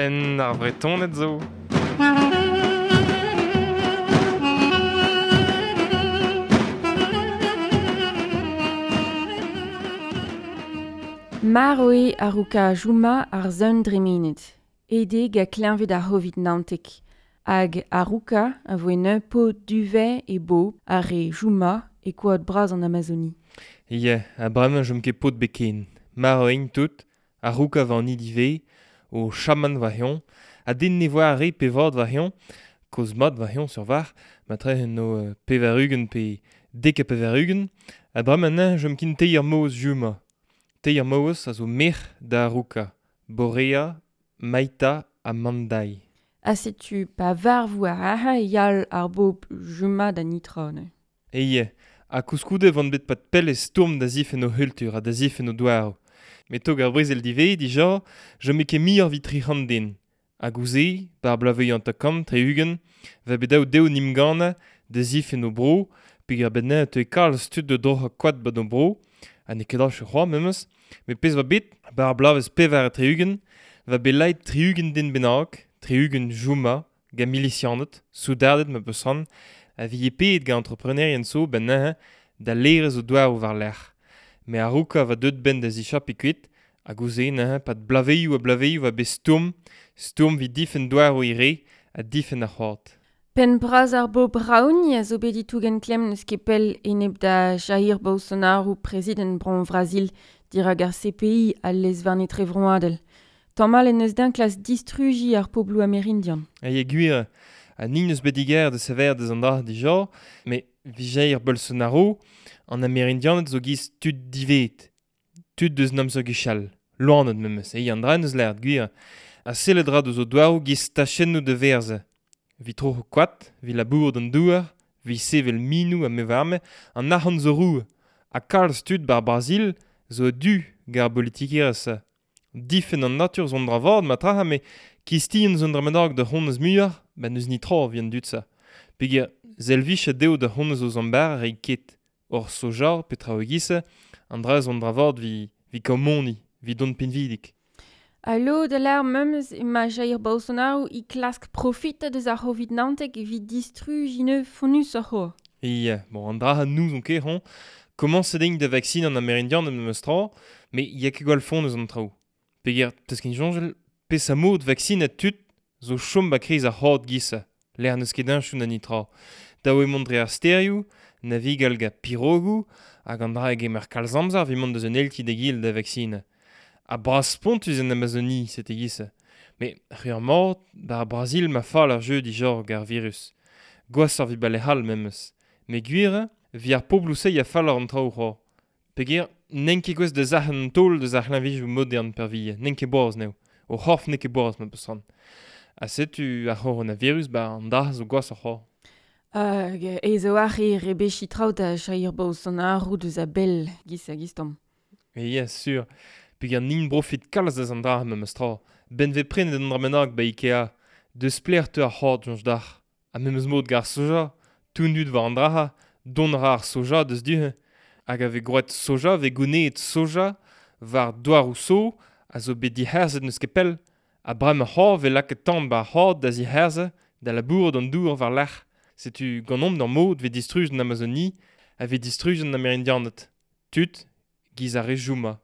Penn ar Vretoned zo. Marv eo Haruka Juma ar sun dremenet. Aet eo gant kleñved ar C'hovid 19. Hag Haruka a voe neuze paotr duvet e bobl ar re Juma e koad bras an Amazoni. Ya, ha bremañ chom ket paotr ebet ken. Marv int tout, Haruka war an ivez, o chaman war-eñ, ha den ne voa ar re pe vat war-eñ, kozh mat war-eñ sur war, matre en o 80 pe 90, ha bremañ neuze chom ken teir maouez Juma. Teir maouez a zo merc'h da Haruka, Borea, Maita ha Mandai. Ha setu pa varv war aze e yal ar bobl Juma da netra neuze. E ha koulskoude e oant bet pad pell e stourm da zifenn o c'hultur ha da zifenn o douaroù. Met tog ar brezel diwezhañ dija, chome ket muioc'h evit 300 den. Hag ouzh-se, 'ba ar bloavezhioù 50, 60, 'va bet dav dezho 'n em gannañ da zifenn o bro, peogwir a-benn neuze e teue kalz tud da droc'hañ koad 'ba o bro, ha n'eo ket achu c'hoazh memes, met pezh 'oa bet, 'ba ar bloavezh 64, 'va bet lakaet 60 den bennak, 60 Juma, gant milisianed, soudarded ma peus c'hoant, a vije paeet gant entreprenerien zo 'benn neuze da laerezh o douaroù war-lerc'h. Met Haruka 'oa deuet 'benn da zichapiñ kuit, hag ouzh-se neuze 'pad bloavezhioù ha bloavezhioù 'oa bet stourm, stourm evit difenn douaroù e re ha difenn ar c'hoad. Penn bras ar bobl Raoni a zo bet e-tougen klemm n'eus ket pell enep da Jair Bolsonaro, prezidant bro Brazil, dirak ar CPI al lez-varn etrevroadel. Tamal en deus din klask distrujiñ ar pobloù amerindian. Ha gwir, ha nin eus bet diger da sevel deus an dra dija, met Jair Bolsonaro, an Amerindianed zo giz tud divet, tud deus an amzer gwechall, loened memes, eo an dra en deus lâret gwir, ha sellet 'ra deus o douaroù giz tachennoù da werzhañ. Evit troc'hañ koad, evit labourat an douar, evit sevel minoù ha me 'oar-me, an arc'hant zo roue. Ha kalz tud 'bar Brazil zo a-du gant ar bolitikerezh-se. Difenn an natur zo un dra vat matra, met kistin zo un dra bennak da c'honez muioc'h, ba n'eus netra evit an dud-se. Peogwir selvijet dezho da c'honez o zamm bara reiñ ket. Hor soja, petra e-giz-se, an dra zo un dra vat evit kaout moni, evit dont pinvidik. Ha lod a lâr memes emañ Jair Bolsonaro e klask profitañ deus ar C'hovid 19 evit distrujiñ neuze fonnusoc'h c'hoazh. Ya, bon, an dra n'ouzon ket hoñ. Komañset int da vaksinañ an Amerindianed memes tra, met ya ket gwall fonnus an traoù. Peogwir, 'teus ket soñjal, peseurt mod vaksinañ tud zo chom 'ba kreiz ar c'hoad giz-se, lec'h n'eus ket heñchoù na netra. Dav eo mont dre ar stêrioù, navigal gant pirogoù, hag an dra a gemer kalz amzer evit mont deus un eil ti d'egile da vaksinañ. Ha bras-spontus en Amazonie, sete giz-se. Met c'hwi mat, 'ba ar Brazil ma fall ar jeu dija gant ar virus. Gwashoc'h evit 'ba lec'h all memes. Met gwir eo, evit ar pobloù-se ya falloc'h an traoù c'hoazh. Peogwir n'int ket gouest da sac'hañ an taol deus ar c'hleñvedoù modern peurvuiañ, n'int ket boaz anezho. O c'horf n'eo ket boaz ma peus c'hoant. Ha setu ar c'horonavirus 'ba an dra zo gwashoc'h c'hoazh. Hag aes a-walc'h eo rebechiñ traoù da Jair Bolsonaro deus a-bell giz ha giz-tamm. Ya, sur. Peogwir n'int profit kalz deus an dra memes tra. 'Benn 'vez prenet un dra bennak 'ba Ikea. Deus pelec'h 'teu ar c'hoad soñj dac'h. Ha memes mod gant ar soja. Tout an dud war an dra-se, dont a ra ar soja deus du-hont. Hag a vez gwraet soja, 'vez gounezet soja war douaroù so a zo bet dic'herzhet n'eus ket pell. Ha bremañ c'hoazh 'vez lakaet tan 'ba ar c'hoad da zic'herzhañ, da labourat an dour war-lerc'h. Setu ganeomp d'ar mod 'vez distrujet an Amazonie, a vez distrujet an Amerindianed. Tud, giz ar re Juma.